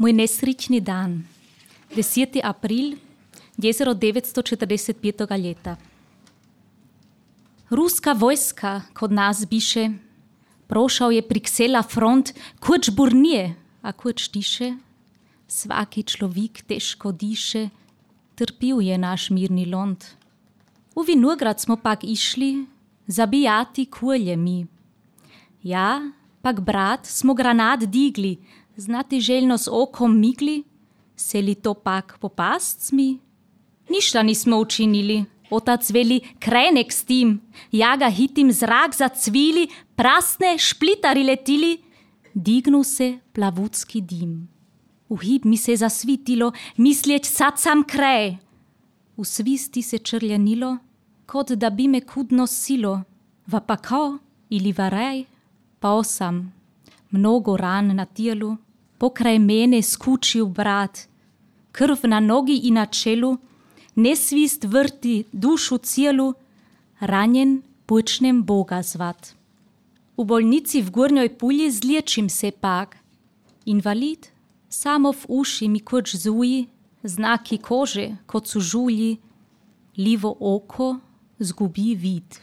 Mój nesrični dan, 10. april 1945 leta. Ruska vojska kod nas biše, prošao je priksela front, kuč burnije, a kuč tiše. Svaki človek težko diše, trpil je naš mirni lond. U Vinograd smo pak išli, zabijati kulje mi. Ja, pak brat smo granat digli, znati željno s okom migli, se li to pak popast mi? Ništa nismo učinili, otac veli krenek s tim, ja ga hitim zrak zacvili, prasne šplitari letili, dignu se plavutski dim. U hib mi se zasvitilo, mislječ sad sam krej. U svisti se črljanilo, kot da bi me kudno silo, va pa kao ili varej, pa osam. Mnogo ran na tijelu, pokraj mene skučil brat, krv na nogi i na čelu, nesvist vrti dušu cijelu, ranjen počnem Boga zvat. U bolnici v Gornjoj Pulji zliječim se pak. Invalid, samo v uši mi kuč zuji, znaki kože, kot su žulji, livo oko zgubi vid.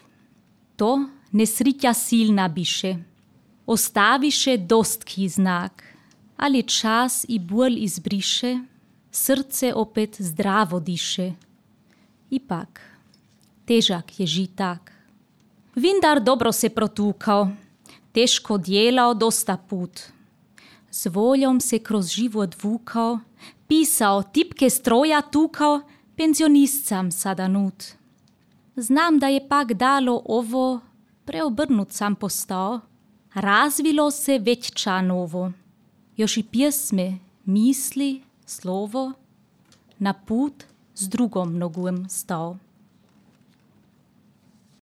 To nesritja silna biše. Ostaviše dostki znak, ali čas i bol izbriše, srce opet zdravo diše. Ipak, težak je žitak. Vindar dobro se protukao, teško djelao dosta put. S voljom se kroz život vukao, pisao, tipke stroja tukao, penzionistam sada nut. Znam da je pak dalo ovo, preobrnut sam postao, razvilo se već ča novo. Još i pjesme, misli, slovo, na put s drugom nogom stao.